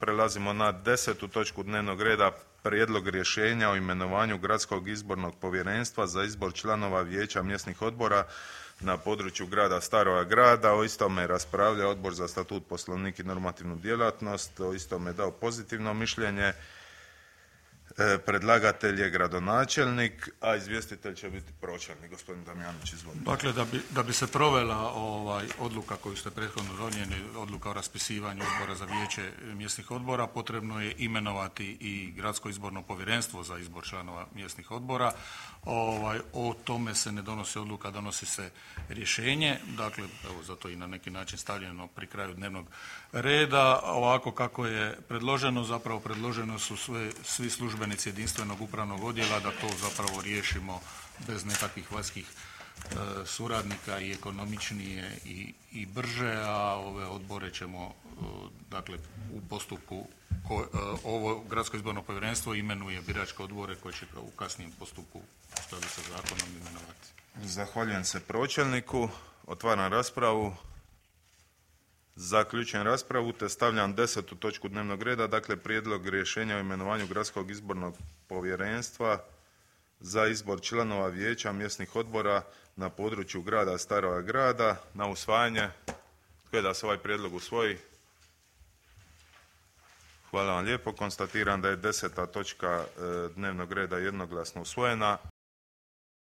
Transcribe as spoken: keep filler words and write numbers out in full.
Prelazimo na desetu točku dnevnog reda, prijedlog rješenja o imenovanju Gradskog izbornog povjerenstva za izbor članova vijeća mjesnih odbora na području grada Staroga Grada. O istome raspravlja Odbor za statut, poslovnik i normativnu djelatnost. O istome dao pozitivno mišljenje. E, predlagatelj je gradonačelnik, a izvjestitelj će biti pročelnik. Gospodin Damjanić, izvolite. Dakle, da bi, da bi se provela ovaj, odluka koju ste prethodno donijeli, odluka o raspisivanju izbora za vijeće mjesnih odbora, potrebno je imenovati i Gradsko izborno povjerenstvo za izbor članova mjesnih odbora. Ovaj, o tome se ne donosi odluka, donosi se rješenje. Dakle, evo, zato i na neki način stavljeno pri kraju dnevnog reda. Ovako kako je predloženo, zapravo predloženo su sve, svi službenici jedinstvenog upravnog odjela da to zapravo riješimo bez nekakvih vanjskih e, suradnika i ekonomičnije i, i brže, a ove odbore ćemo e, dakle u postupku ko, e, ovo Gradsko izborno povjerenstvo imenuje biračke odbore koje će u kasnijem postupku u skladu sa zakonom imenovati. Zahvaljujem se pročelniku. Otvaram raspravu. Zaključujem raspravu te stavljam desetu točku dnevnog reda, dakle prijedlog rješenja o imenovanju Gradskog izbornog povjerenstva za izbor članova vijeća mjesnih odbora na području grada Staroga Grada na usvajanje. Tko je da se ovaj prijedlog usvoji? Hvala vam lijepo. Konstatiram da je deseta točka dnevnog reda jednoglasno usvojena.